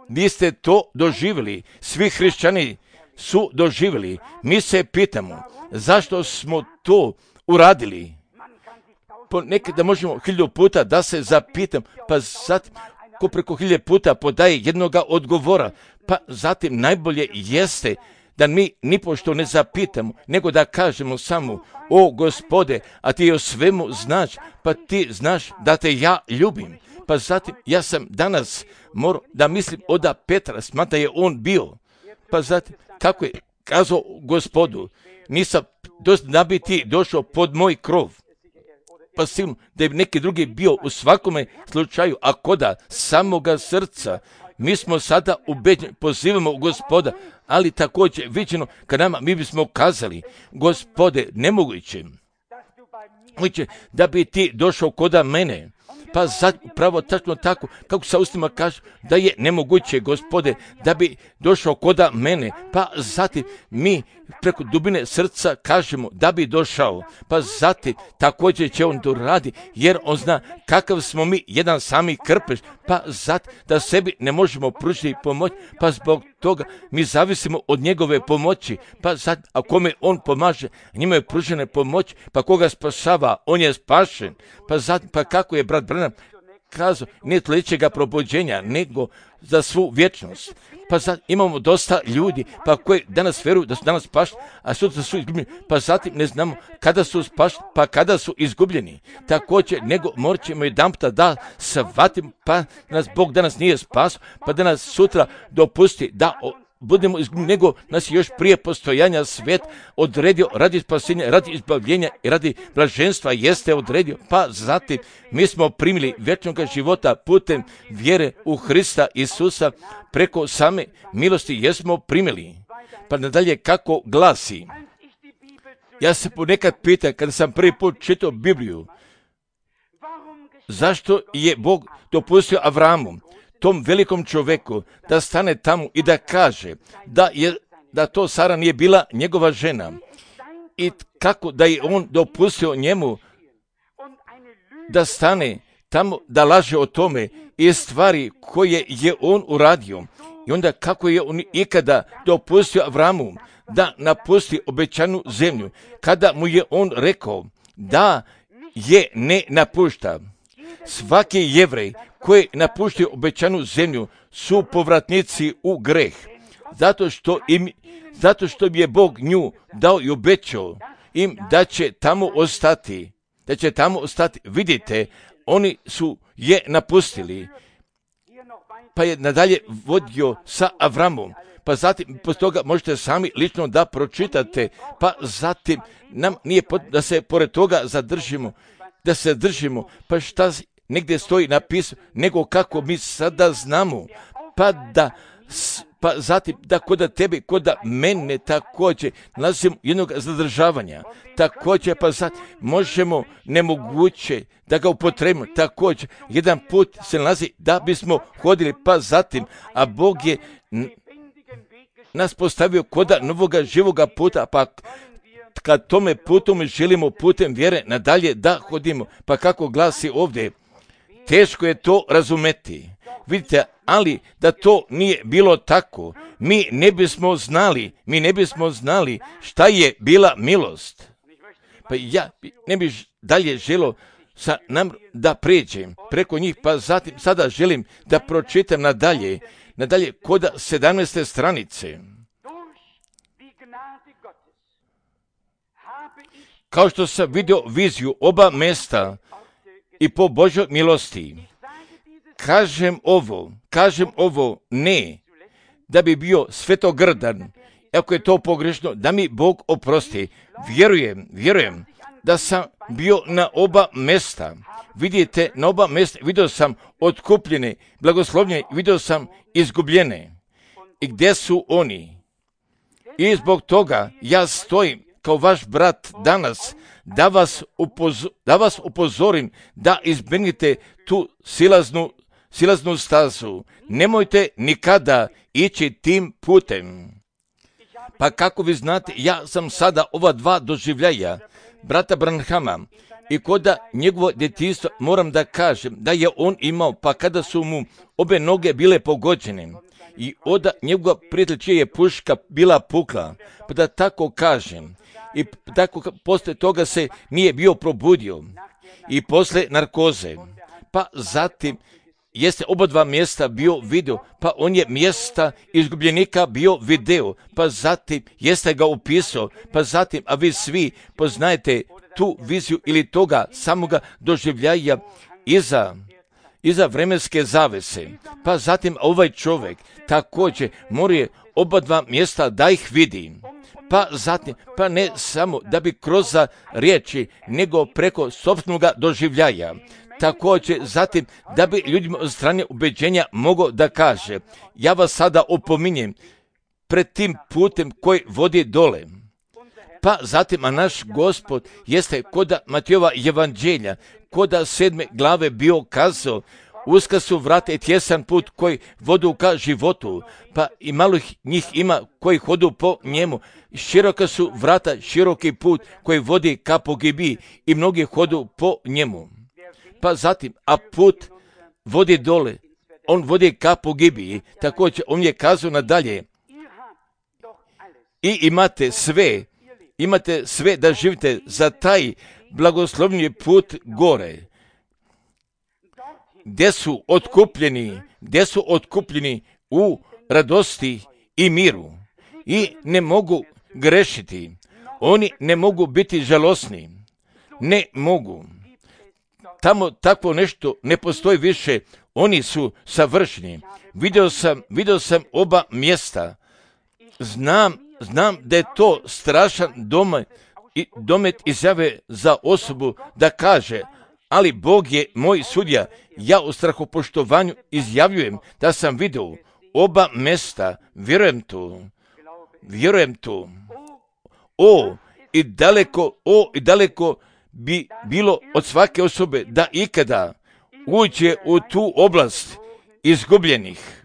Vi ste to doživjeli, svi hrišćani su doživjeli. Mi se pitamo, zašto smo to uradili? Ponekada možemo hiljadu puta da se zapitam, pa zatim ko preko hiljade puta podaje jednoga odgovora, pa zatim najbolje jeste da mi nipošto ne zapitamo, nego da kažemo samo, o Gospode, a ti o svemu znaš, pa ti znaš da te ja ljubim. Pa zatim, ja sam danas morao da mislim oda Petra, smatra je on bio. Pa zatim, kako je kazao Gospodu, nisam dosta da bi ti došao pod moj krov. Pa sigurno da je neki drugi bio u svakome slučaju, a koda samoga srca, mi smo sada ubeđeni, pozivamo Gospoda, ali također viđeno kad nama mi bismo kazali, Gospode, nemoguće, moguće da bi ti došao koda mene. Pa sad, pravo tačno tako, kako sa ustima kaže, da je nemoguće, Gospode, da bi došao koda mene. Pa zatim mi preko dubine srca kažemo da bi došao. Pa zatim također će on to radi, jer on zna kakav smo mi jedan sami krpeš. Pa zatim da sebi ne možemo pružiti pomoć, pa zbog toga mi zavisimo od njegove pomoći. Pa zatim, a kome on pomaže, njima je pružena pomoć, pa koga spašava, on je spašen. Pa zatim, pa kako je brat Branham kazao, nije tličega probuđenja, nego za svu vječnost. Pa sad imamo dosta ljudi, pa koji danas vjeruju da su danas spašeni, a sutra su izgubljeni. Pa zatim ne znamo kada su spašeni, pa kada su izgubljeni. Također, nego morat ćemo jedan puta da shvatimo, pa nas Bog danas nije spasio, pa da nas sutra dopusti da o, budemo izgubljeni, nego nas još prije postojanja svijet odredio radi spasenja, radi izbavljenja i radi blaženstva jeste odredio. Pa zatim mi smo primili vječnog života putem vjere u Hrista Isusa, preko same milosti jesmo primili. Pa nadalje kako glasi, ja se ponekad pitam kada sam prvi put čitao Bibliju, zašto je Bog dopustio Avramu, tom velikom čovjeku, da stane tamo i da kaže da, je, da to Sara nije bila njegova žena i kako da je on dopustio njemu da stane tamo da laže o tome i stvari koje je on uradio. I onda kako je on ikada dopustio Avramu da napusti obećanu zemlju, kada mu je on rekao da je ne napušta. Svaki Jevrej koji napuštio obećanu zemlju su povratnici u greh, zato što im, zato što im je Bog nju dao i obećao im da će tamo ostati, da će tamo ostati. Vidite, oni su je napustili, pa je nadalje vodio sa Avramom. Pa zatim, poslije toga možete sami lično da pročitate, pa zatim nam nije potrebno da se pored toga zadržimo, da se držimo, pa šta negdje stoji napisano, nego kako mi sada znamo, pa da, pa zatim da koda tebi, koda mene također nalazimo jednog zadržavanja, također pa zatim možemo nemoguće da ga upotrebimo, također jedan put se nalazi da bismo hodili, pa zatim, a Bog je nas postavio koda novoga živoga puta, pa kad tome putom želimo putem vjere nadalje da hodimo, pa kako glasi ovdje, teško je to razumeti. Vidite, ali da to nije bilo tako, mi ne bismo znali, mi ne bismo znali šta je bila milost. Pa ja ne bih dalje želio sa nam da pređem preko njih, pa zatim sada želim da pročitam nadalje, nadalje koda sedamnaeste stranice. Kao što sam vidio viziju oba mesta i po Božoj milosti, kažem ovo, kažem ovo ne, da bi bio svetogrdan, ako je to pogrešno, da mi Bog oprosti. Vjerujem, vjerujem da sam bio na oba mesta. Vidite, na oba mesta vidio sam otkupljene, blagoslovljene, vidio sam izgubljene. I gdje su oni? I zbog toga ja stojim kao vaš brat danas, da vas, upozo, da vas upozorim da izbjegnete tu silaznu, silaznu stazu. Nemojte nikada ići tim putem. Pa kako vi znate, ja sam sada ova dva doživljaja brata Branhama i koda njegovo djetinjstvo moram da kažem da je on imao, pa kada su mu obe noge bile pogođene i oda njegova prijatelj čija je puška bila pukla, pa da tako kažem, i tako poslije toga se nije bio probudio i poslije narkoze, pa zatim jeste oba dva mjesta bio video, pa on je mjesta izgubljenika bio video, pa zatim jeste ga upisao, pa zatim, a vi svi poznajete tu viziju ili toga samoga doživljaja iza, iza vremenske zavese. Pa zatim ovaj čovjek također mora oba dva mjesta da ih vidi. Pa zatim, pa ne samo da bi kroz riječi, nego preko sopstvenog doživljaja. Također zatim da bi ljudima od strane ubeđenja mogao da kaže, ja vas sada opominjem pred tim putem koji vodi dole. Pa zatim, a naš Gospod jeste koda Matejova evanđelja, koda sedme glave bio kazao, uska su vrata i tjesan put koji vodu ka životu, pa i malo njih ima koji hodu po njemu. Široka su vrata, široki put koji vodi ka pogibiji i mnogi hodu po njemu. Pa zatim, a put vodi dole, on vodi ka pogibiji, također on je kazao nadalje, i imate sve, imate sve da živite za taj blagoslovni put gore, gdje su otkupljeni, gdje su otkupljeni u radosti i miru i ne mogu grešiti, oni ne mogu biti žalosni, ne mogu. Tamo takvo nešto ne postoji više, oni su savršeni. Vidio sam, vidio sam oba mjesta, znam, znam da je to strašan domet, domet izjave za osobu da kaže, ali Bog je moj sudija, ja u strahopoštovanju izjavljujem da sam vidio oba mjesta, vjerujem tu, vjerujem tu. O, i daleko, o, i daleko bi bilo od svake osobe da ikada uđe u tu oblast izgubljenih.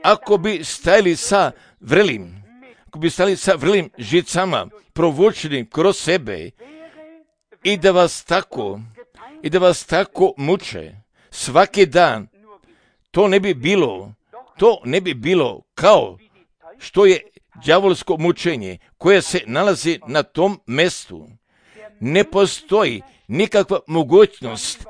Ako bi stajali sa vrelim, ako bi stajali sa vrelim žicama, provučeni kroz sebe i da vas tako, i da vas tako muče svaki dan, to ne bi bilo, to ne bi bilo kao što je đavolsko mučenje koje se nalazi na tom mjestu. Ne postoji nikakva mogućnost,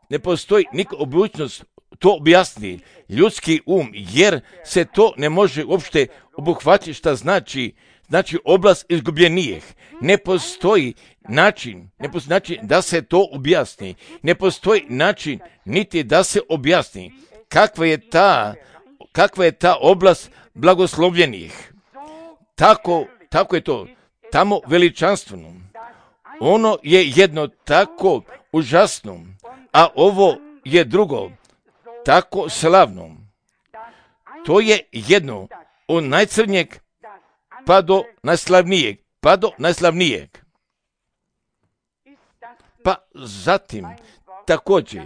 ne postoji nikakva mogućnost to objasni ljudski um, jer se to ne može uopšte obuhvatiti šta znači, znači oblast izgubljenijih. Ne postoji način, ne postoji način da se to objasni, ne postoji način niti da se objasni kakva je ta, kakva je ta oblast blagoslovljenih. Tako, tako je to, tamo veličanstveno. Ono je jedno tako užasno, a ovo je drugo tako slavno. To je jedno od najcrnjeg pa do najslavnijeg, pa do najslavnijeg. Pa zatim, također,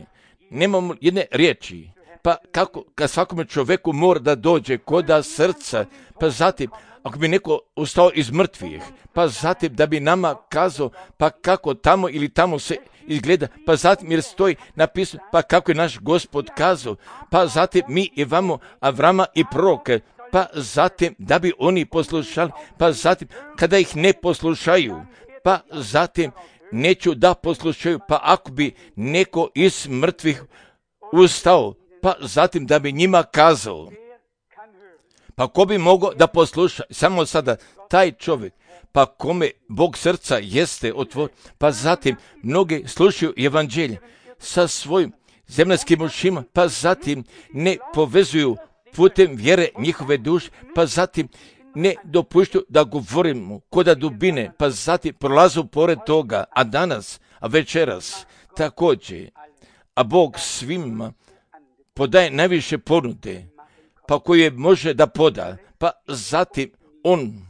nemamo jedne riječi, pa kako kad svakome čovjeku mora da dođe koda srca, pa zatim, ako bi neko ustao iz mrtvih, pa zatim da bi nama kazao, pa kako tamo ili tamo se izgleda, pa zatim jer stoji napisano, pa kako je naš Gospod kazao, pa zatim mi imamo Avrama i proroke, pa zatim da bi oni poslušali, pa zatim kada ih ne poslušaju, pa zatim neću da poslušaju, pa ako bi neko iz mrtvih ustao, pa zatim da bi njima kazao, pa ko bi mogao da posluša, samo sada taj čovjek, pa kome Bog srca jeste otvor, pa zatim mnogi slušaju evanđelje sa svojim zemaljskim ušima, pa zatim ne povezuju putem vjere njihove duše, pa zatim ne dopuštaju da govorimo koda dubine, pa zatim prolazu pored toga, a danas, a večeras, također, a Bog svima podaje najviše ponude, pa koje može da poda, pa zatim on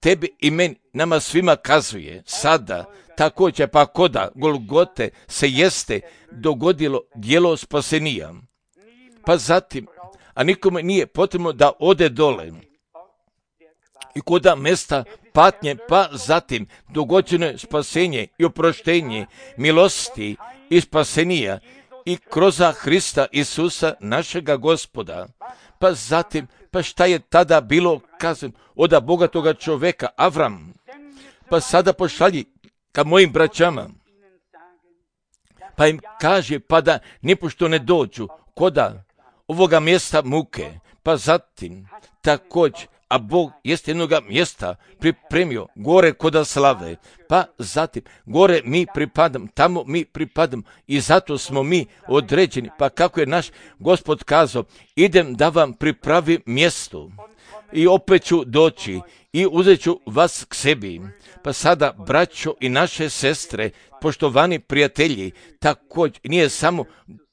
tebi i meni, nama svima kazuje, sada, također, pa koda Golgote se jeste dogodilo djelo spasenija. Pa zatim, a nikome nije potrebno da ode dole i koda mjesta patnje, pa zatim dogođeno je spasenje i oproštenje milosti i spasenija i kroz Hrista Isusa našega Gospoda. Pa zatim, pa šta je tada bilo kazano od bogatoga čovjeka Avram? Pa sada pošalji ka mojim braćama. pa im kaže pa da nipošto ne dođu koda ovoga mjesta muke, pa zatim također, a Bog jest jednoga mjesta pripremio gore koda slave, pa zatim gore mi pripadam, tamo mi pripadam i zato smo mi određeni, pa kako je naš Gospod kazao, idem da vam pripravim mjesto i opet ću doći i uzet ću vas k sebi. Pa sada, braćo i naše sestre, poštovani prijatelji, također nije samo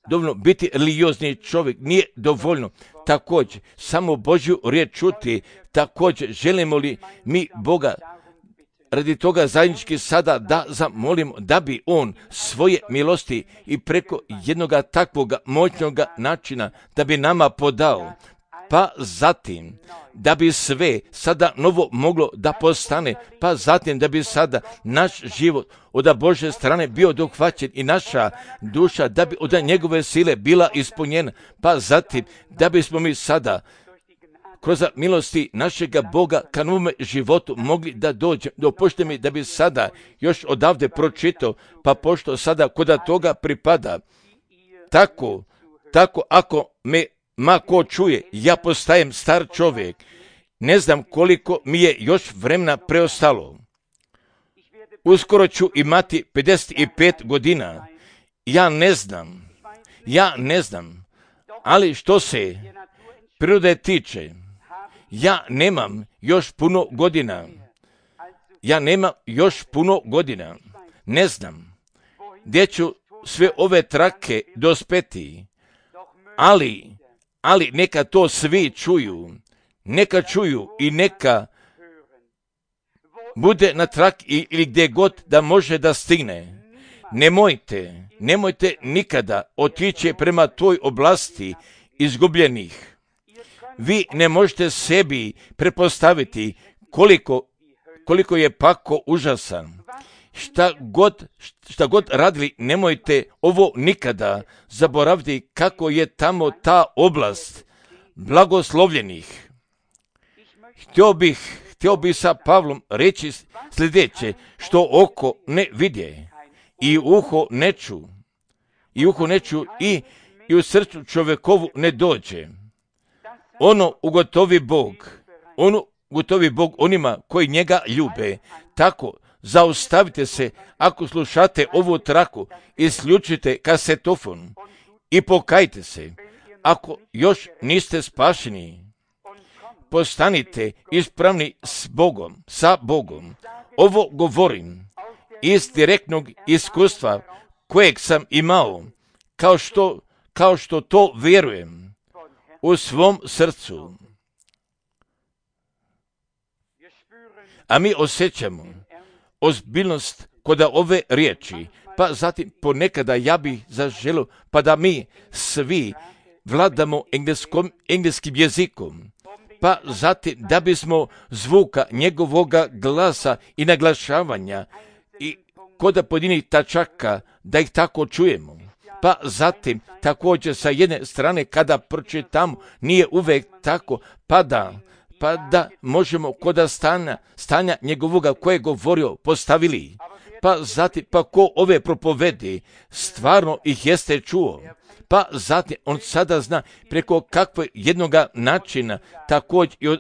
dovoljno biti religiozni čovjek, nije dovoljno također samo Božju riječ čuti, također želimo li mi Boga radi toga zajednički sada da zamolimo da bi On svoje milosti i preko jednoga takvoga moćnoga načina da bi nama podao, pa zatim da bi sve sada novo moglo da postane, pa zatim da bi sada naš život od Božje strane bio dohvaćen i naša duša da bi od njegove sile bila ispunjena, pa zatim da bismo mi sada kroz milosti našega Boga ka novome životu mogli da dođe. Dopušte mi da bi sada još odavde pročitao, pa pošto sada koda toga pripada, tako, tako ako me ma ko čuje, ja postajem star čovjek, ne znam koliko mi je još vremena preostalo. Uskoro ću imati pedeset pet godina. Ja ne znam, ja ne znam, ali što se prirode tiče, ja nemam još puno godina. Ja nemam još puno godina. Ne znam gdje ću sve ove trake dospeti, ali Ali neka to svi čuju, neka čuju i neka bude na trak ili gdje god da može da stigne. Nemojte, nemojte nikada otići prema toj oblasti izgubljenih. Vi ne možete sebi prepostaviti koliko, koliko je pako užasan. Šta god, šta god radili, nemojte ovo nikada zaboraviti kako je tamo ta oblast blagoslovljenih. Htio bih, htio bih sa Pavlom reći sljedeće, što oko ne vidje i uho ne ču, i uho ne ču i, i u srcu čovjekovu ne dođe. Ono ugotovi Bog, ono ugotovi Bog onima koji njega ljube, tako zaustavite se ako slušate ovu traku, isključite kasetofon i pokajte se. Ako još niste spašeni, postanite ispravni s Bogom, sa Bogom. Ovo govorim iz direktnog iskustva kojeg sam imao, kao što, kao što to vjerujem u svom srcu. A mi osjećamo ozbiljnost kod ove riječi, pa zatim ponekada ja bih zaželio pa da mi svi vladamo engleskom, engleskim jezikom, pa zatim da bismo zvuka njegovoga glasa i naglašavanja i kod pojedinih tačaka da ih tako čujemo. Pa zatim također sa jedne strane kada pročitamo nije uvijek tako, pa da pa da možemo kod stanja, stanja njegovoga koje je govorio postavili. Pa zatim, pa ko ove propovedi, stvarno ih jeste čuo. Pa zatim, on sada zna preko kakvog jednoga načina, također i,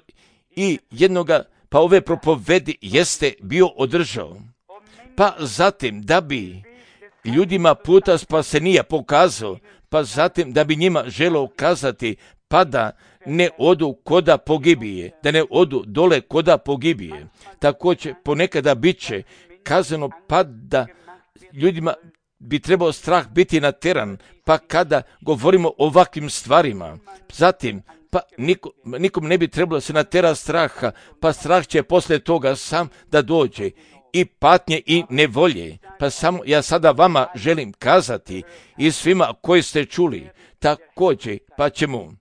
i jednoga, pa ove propovedi jeste bio održao. Pa zatim, da bi ljudima puta spasenija pokazao, pa zatim da bi njima želio kazati, pa da ne odu koda pogibije, da ne odu dole koda pogibije. Također ponekada bit će kazano pa da ljudima bi trebao strah biti nateran, pa kada govorimo o ovakvim stvarima, zatim pa nikom, nikom ne bi trebalo se natera straha, pa strah će poslije toga sam da dođe i patnje i nevolje. Pa samo ja sada vama želim kazati i svima koji ste čuli, također pa ćemo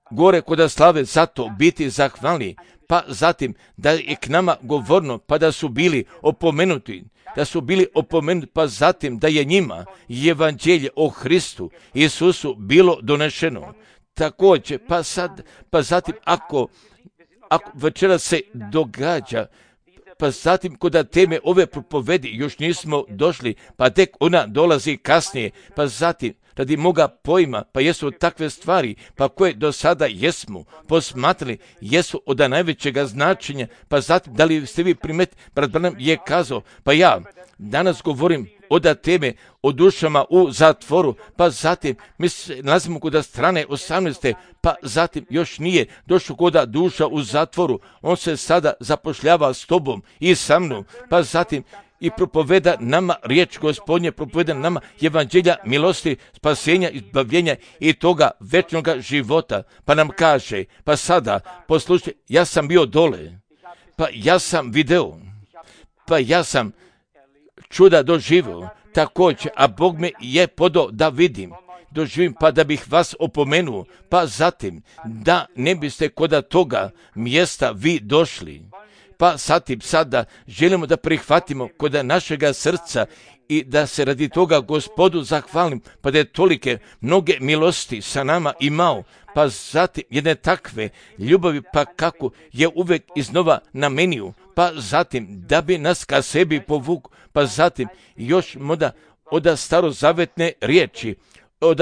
gore kod slave zato biti zahvalni, pa zatim da je k nama govorno, pa da su bili opomenuti, da su bili opomenuti, pa zatim da je njima evanđelje o Hristu Isusu bilo donešeno. Također, pa sad, pa zatim ako, ako večera se događa pa zatim kod teme ove propovedi još nismo došli, pa tek ona dolazi kasnije, pa zatim radi moga pojma, pa jesu takve stvari, pa koje do sada jesmo posmatrali, jesu od najvećega značenja, pa zatim da li ste vi primet, brat Branham je kazao, pa ja danas govorim od teme o dušama u zatvoru, pa zatim mi se nalazimo kod strane osamnaeste, pa zatim još nije došao kod duša u zatvoru, on se sada zapošljava s tobom i sa mnom, pa zatim i propoveda nama riječ Gospodnje, propoveda nama evanđelja milosti, spasenja, izbavljenja i toga večnog života. Pa nam kaže, pa sada, poslušajte, ja sam bio dole, pa ja sam video, pa ja sam čuda doživio, također, a Bog me je podao da vidim, doživim, pa da bih vas opomenuo, pa zatim, da ne biste kod toga mjesta vi došli. Pa zatim sada želimo da prihvatimo kod našega srca i da se radi toga Gospodu zahvalim, pa da je tolike mnoge milosti sa nama imao, pa zatim jedne takve ljubavi, pa kako je uvek iznova namenio, pa zatim da bi nas ka sebi povukao, pa zatim još moda od starozavetne riječi, od,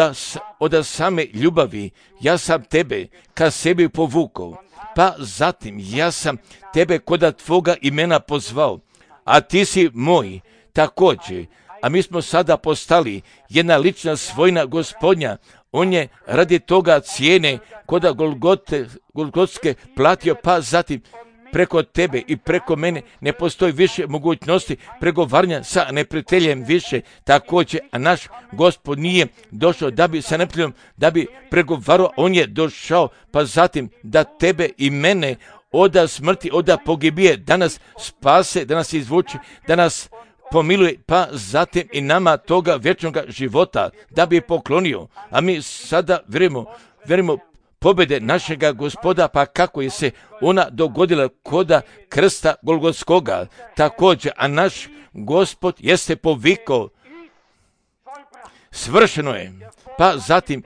od same ljubavi, ja sam tebe ka sebi povukao, pa zatim ja sam tebe koda tvoga imena pozvao, a ti si moj također, a mi smo sada postali jedna lična svojina Gospodnja, on je radi toga cijene koda Golgote, Golgotske platio, pa zatim preko tebe i preko mene ne postoji više mogućnosti pregovaranja sa neprijateljem više, također, a naš Gospod nije došao da bi sa neprijateljom, da bi pregovarao, on je došao, pa zatim da tebe i mene od smrti, od pogibije, da nas spase, da nas izvuče, da nas pomiluje, pa zatim i nama toga vječnog života, da bi poklonio, a mi sada vjerujemo, vjerujemo pobjede našega Gospoda, pa kako je se ona dogodila koda krsta Golgotskoga, također, a naš Gospod jeste povikao, svršeno je, pa zatim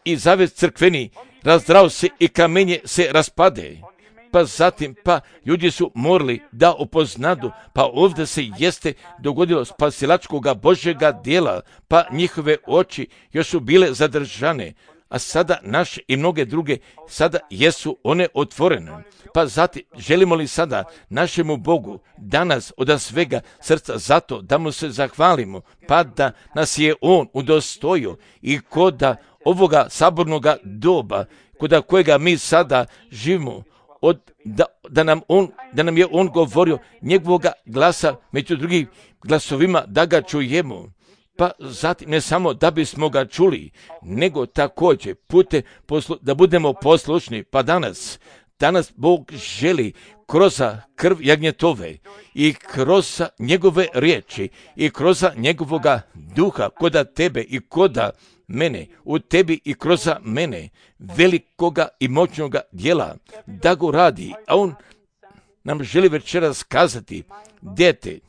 i zavjet crkveni razdrao se i kamenje se raspade, pa zatim, pa ljudi su morali da upoznadu, pa ovdje se jeste dogodilo spasilačkoga Božjega dijela, pa njihove oči još su bile zadržane, a sada naše i mnoge druge, sada jesu one otvorene. Pa zatim, želimo li sada našemu Bogu danas od svega srca zato da mu se zahvalimo, pa da nas je on udostojio i koda ovoga sabornoga doba, koda kojega mi sada živimo, od, da, da, nam on, da nam je on govorio njegovoga glasa među drugim glasovima da ga čujemo. Pa zatim ne samo da bismo ga čuli, nego također pute poslu, da budemo poslušni. Pa danas, danas Bog želi kroz krv jagnjetove i kroz njegove riječi i kroz njegovoga duha koda tebe i koda mene, u tebi i kroz mene, velikoga i moćnoga djela, da go radi. A on nam želi večeras kazati, dete,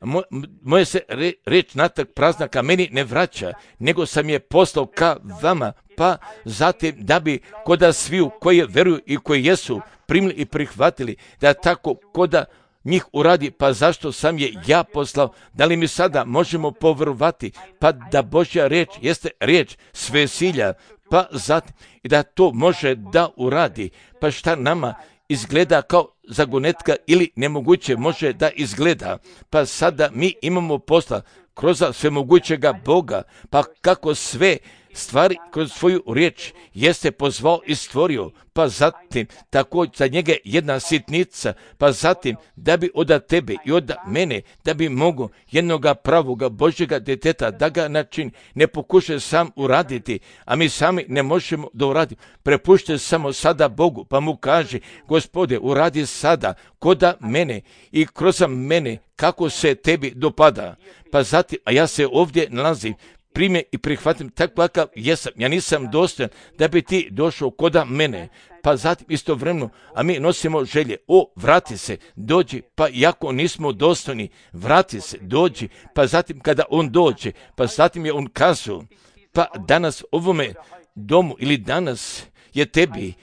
Mo, moje se re, reč natrag prazna ka meni ne vraća, nego sam je poslao ka vama, pa zatim da bi koda sviju koji veruju i koji jesu primili i prihvatili, da tako koda njih uradi, pa zašto sam je ja poslao, da li mi sada možemo povjerovati, pa da Božja riječ jeste riječ svesilja, pa zatim i da to može da uradi, pa šta nama izgleda kao zagonetka ili nemoguće može da izgleda, pa sada mi imamo posla kroz svemogućega Boga, pa kako sve stvari kroz svoju riječ jeste pozvao i stvorio, pa zatim također za njega jedna sitnica, pa zatim da bi od tebe i od mene, da bi mogo jednoga pravoga Božjega djeteta da ga način ne pokuša sam uraditi, a mi sami ne možemo da uradimo, prepušte samo sada Bogu, pa mu kaže, Gospode, uradi sada koda mene i kroz mene kako se tebi dopada, pa zatim, a ja se ovdje nalazim, prime i prihvatim tako kakav jesam. Ja nisam dostojan da bi ti došao koda mene. Pa zatim istovremeno, a mi nosimo želje. O, vrati se, dođi, pa iako nismo dostojni, vrati se, dođi. Pa zatim kada on dođe, pa zatim je on kazao, pa danas ovome domu ili danas je tebi,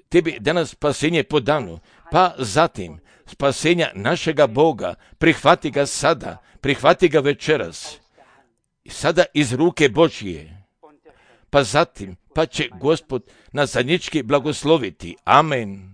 tebi danas spasenje podano. Pa zatim, spasenja našega Boga, prihvati ga sada, prihvati ga večeras, i sada iz ruke Božje, pa zatim, pa će Gospod nas zajednički blagosloviti. Amen.